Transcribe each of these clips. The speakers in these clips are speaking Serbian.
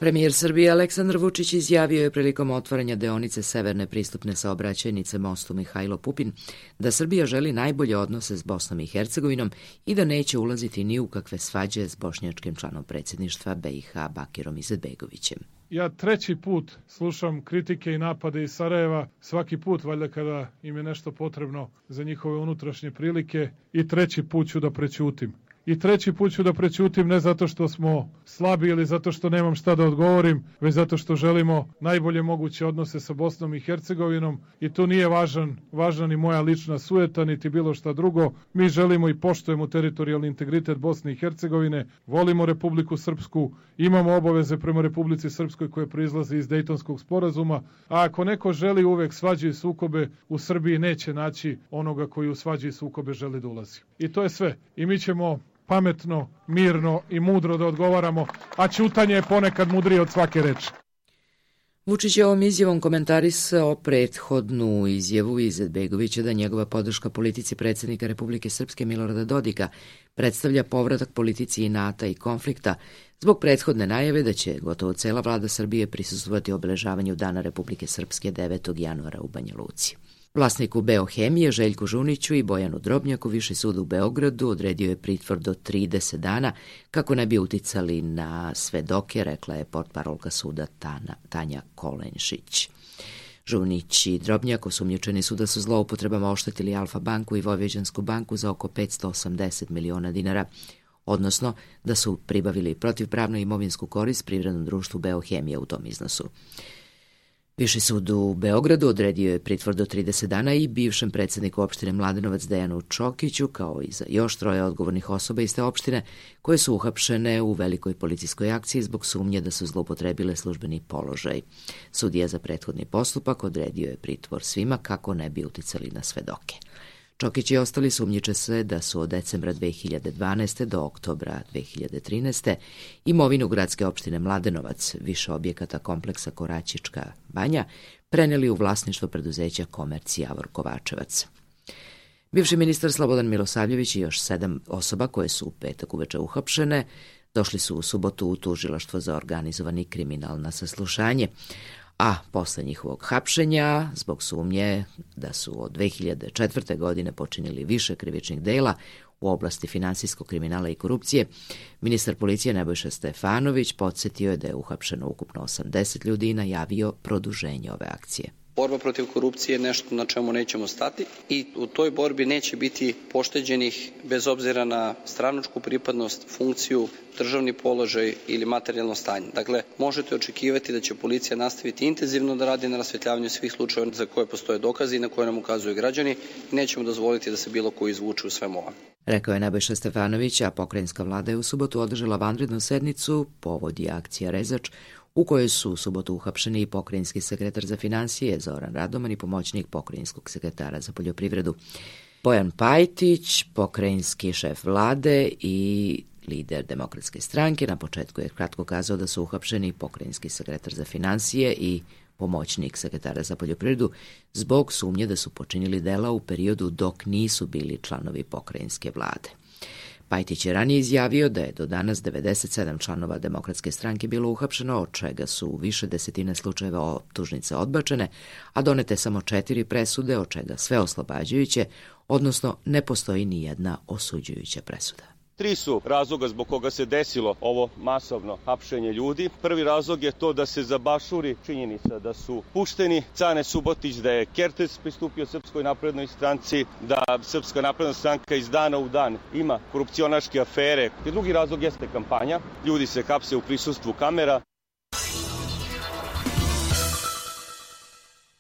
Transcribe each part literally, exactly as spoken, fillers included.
Premijer Srbije Aleksandar Vučić izjavio je prilikom otvaranja deonice severne pristupne saobraćajnice mostu Mihajlo Pupin da Srbija želi najbolje odnose s Bosnom i Hercegovinom i da neće ulaziti ni u kakve svađe s bošnjačkim članom predsjedništva B i H Bakirom Izetbegovićem. Ja treći put slušam kritike i napade iz Sarajeva, svaki put valjda kada im je nešto potrebno za njihove unutrašnje prilike, i treći put ću da prećutim. I treći put ću da prećutim ne zato što smo slabi ili zato što nemam šta da odgovorim, već zato što želimo najbolje moguće odnose sa Bosnom i Hercegovinom i tu nije važan, važna ni moja lična sujeta, niti bilo šta drugo. Mi želimo i poštujemo teritorijalni integritet Bosne i Hercegovine, volimo Republiku Srpsku, imamo obaveze prema Republici Srpskoj koje proizlaze iz Dejtonskog sporazuma, a ako neko želi uvek svađe i sukobe, u Srbiji neće naći onoga koji u svađe i sukobe želi da ulazi. I to je sve. I mi ćemo pametno, mirno i mudro da odgovaramo, a ćutanje je ponekad mudrije od svake reči. Vučić je ovom izjavom komentarisao prethodnu izjavu Izetbegovića da njegova podrška politici predsjednika Republike Srpske Milorada Dodika predstavlja povratak politici inata i konflikta zbog prethodne najave da će gotovo cela vlada Srbije prisustvovati obeležavanju Dana Republike Srpske devetog januara u Banja Luci. Vlasniku Beohemije Željku Žuniću i Bojanu Drobnjaku Viši sud u Beogradu odredio je pritvor do trideset dana kako ne bi uticali na svedoke, rekla je portparolka suda Tana, Tanja Kolenšić. Žunić i Drobnjak osumnjičeni su da su zloupotrebama oštetili Alfa banku i Vojvođansku banku za oko petsto osamdeset miliona dinara, odnosno da su pribavili protivpravnu imovinsku korist privrednom društvu Beohemija u tom iznosu. Viši sud u Beogradu odredio je pritvor do trideset dana i bivšem predsjedniku opštine Mladenovac Dejanu Čokiću, kao i za još troje odgovornih osoba iz te opštine, koje su uhapšene u velikoj policijskoj akciji zbog sumnje da su zloupotrebile službeni položaj. Sudija za prethodni postupak odredio je pritvor svima kako ne bi uticali na svedoke. Čokić i ostali sumnjiče se da su od decembra dve hiljade dvanaeste. do oktobra dve hiljade trinaeste. imovinu gradske opštine Mladenovac, više objekata kompleksa Koraćička banja, preneli u vlasništvo preduzeća Komerc Javor Kovačevac. Bivši ministar Slobodan Milosavljević i još sedam osoba koje su u petak uveče uhapšene došli su u subotu u tužilaštvo za organizovani kriminal na saslušanje, a posle njihovog hapšenja, zbog sumnje da su od dve hiljade četvrte. godine počinili više krivičnih dela u oblasti finansijskog kriminala i korupcije, ministar policije Nebojša Stefanović podsjetio je da je uhapšeno ukupno osamdeset ljudi i najavio produženje ove akcije. Borba protiv korupcije je nešto na čemu nećemo stati i u toj borbi neće biti pošteđenih bez obzira na stranačku pripadnost, funkciju, državni položaj ili materijalno stanje. Dakle, možete očekivati da će policija nastaviti intenzivno da radi na rasvetljavanju svih slučajeva za koje postoje dokazi i na koje nam ukazuju građani i nećemo dozvoliti da se bilo ko izvuče u svemu ovom. Rekao je Nebojša Stefanović, a pokrajinska vlada je u subotu održala vanrednu sednicu, povod je akcija Rezač, u kojoj su u subotu uhapšeni i pokrajinski sekretar za finansije Zoran Radoman i pomoćnik pokrajinskog sekretara za poljoprivredu Bojan Pajtić, pokrajinski šef vlade i lider Demokratske stranke. Na početku je kratko kazao da su uhapšeni pokrajinski sekretar za finansije i pomoćnik sekretara za poljoprivredu zbog sumnje da su počinili dela u periodu dok nisu bili članovi pokrajinske vlade. Pajtić je ranije izjavio da je do danas devedeset sedam članova Demokratske stranke bilo uhapšeno, od čega su u više desetine slučajeva optužnice odbačene, a donete samo četiri presude, od čega sve oslobađajuće, odnosno ne postoji ni jedna osuđujuća presuda. Tri su razloga zbog koga se desilo ovo masovno hapšenje ljudi. Prvi razlog je to da se zabašuri činjenica da su pušteni Cane Subotić, da je Kertes pristupio Srpskoj naprednoj stranci, da Srpska napredna stranka iz dana u dan ima korupcionaške afere. I drugi razlog jeste kampanja. Ljudi se hapse u prisustvu kamera.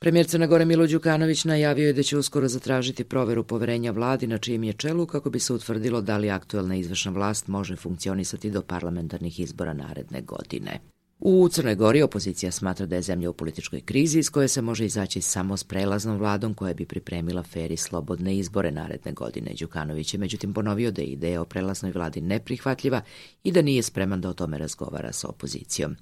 Premijer Crne Gore Milo Đukanović najavio je da će uskoro zatražiti proveru poverenja vladi na čijem je čelu kako bi se utvrdilo da li aktuelna izvršna vlast može funkcionisati do parlamentarnih izbora naredne godine. U Crnoj Gori opozicija smatra da je zemlja u političkoj krizi iz koje se može izaći samo s prelaznom vladom koja bi pripremila fer i slobodne izbore naredne godine. Đukanović je međutim ponovio da je ideja o prelaznoj vladi neprihvatljiva i da nije spreman da o tome razgovara sa opozicijom.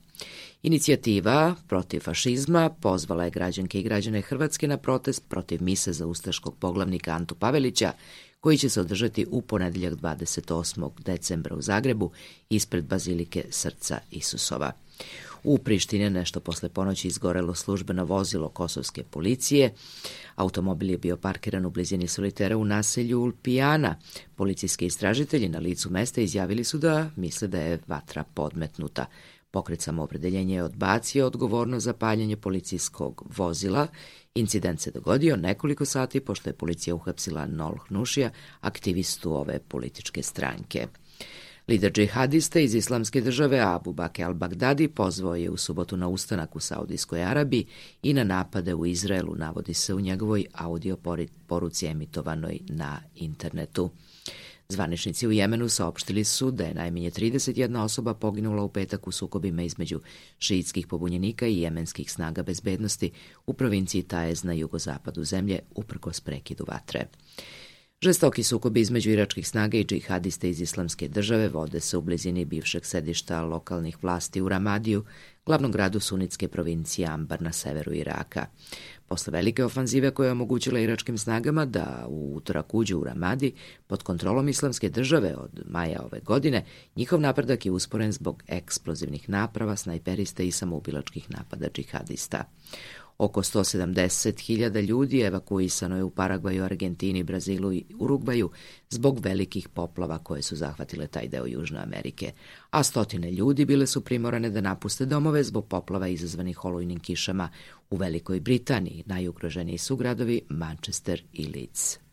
Inicijativa protiv fašizma pozvala je građanke i građane Hrvatske na protest protiv mise za ustaškog poglavnika Antu Pavelića, koji će se održati u ponedeljak dvadeset osmog decembra u Zagrebu ispred Bazilike Srca Isusova. U Prištini nešto posle ponoći izgorelo službeno vozilo kosovske policije. Automobil je bio parkiran u blizini solitera u naselju Ulpijana. Policijski istražitelji na licu mesta izjavili su da misle da je vatra podmetnuta. Pokret Samoopredeljenja je odbacio odgovornost za paljenje policijskog vozila. Incident se dogodio nekoliko sati pošto je policija uhapsila Nolh Nušija, aktivistu ove političke stranke. Lider džihadista iz Islamske države Abu Bakr al-Baghdadi pozvao je u subotu na ustanak u Saudijskoj Arabiji i na napade u Izraelu, navodi se u njegovoj audio poruci emitovanoj na internetu. Zvaničnici u Jemenu saopštili su da je najmanje trideset jedna osoba poginula u petak u sukobima između šiitskih pobunjenika i jemenskih snaga bezbednosti u provinciji Taez na jugozapadu zemlje, uprkos prekidu vatre. Žestoki sukobi između iračkih snaga i džihadista iz Islamske države vode se u blizini bivšeg sedišta lokalnih vlasti u Ramadiju, glavnom gradu sunitske provincije Ambar na severu Iraka. Posle velike ofanzive koja je omogućila iračkim snagama da u utorak uđu u Ramadi pod kontrolom Islamske države od maja ove godine, njihov napredak je usporen zbog eksplozivnih naprava, snajperista i samoubilačkih napada džihadista. Oko sto sedamdeset hiljada ljudi evakuisano je u Paragvaju, Argentini, Brazilu i Urugvaju zbog velikih poplava koje su zahvatile taj deo Južne Amerike, a stotine ljudi bile su primorane da napuste domove zbog poplava izazvanih olujnim kišama u Velikoj Britaniji. Najugroženiji su gradovi Manchester i Leeds.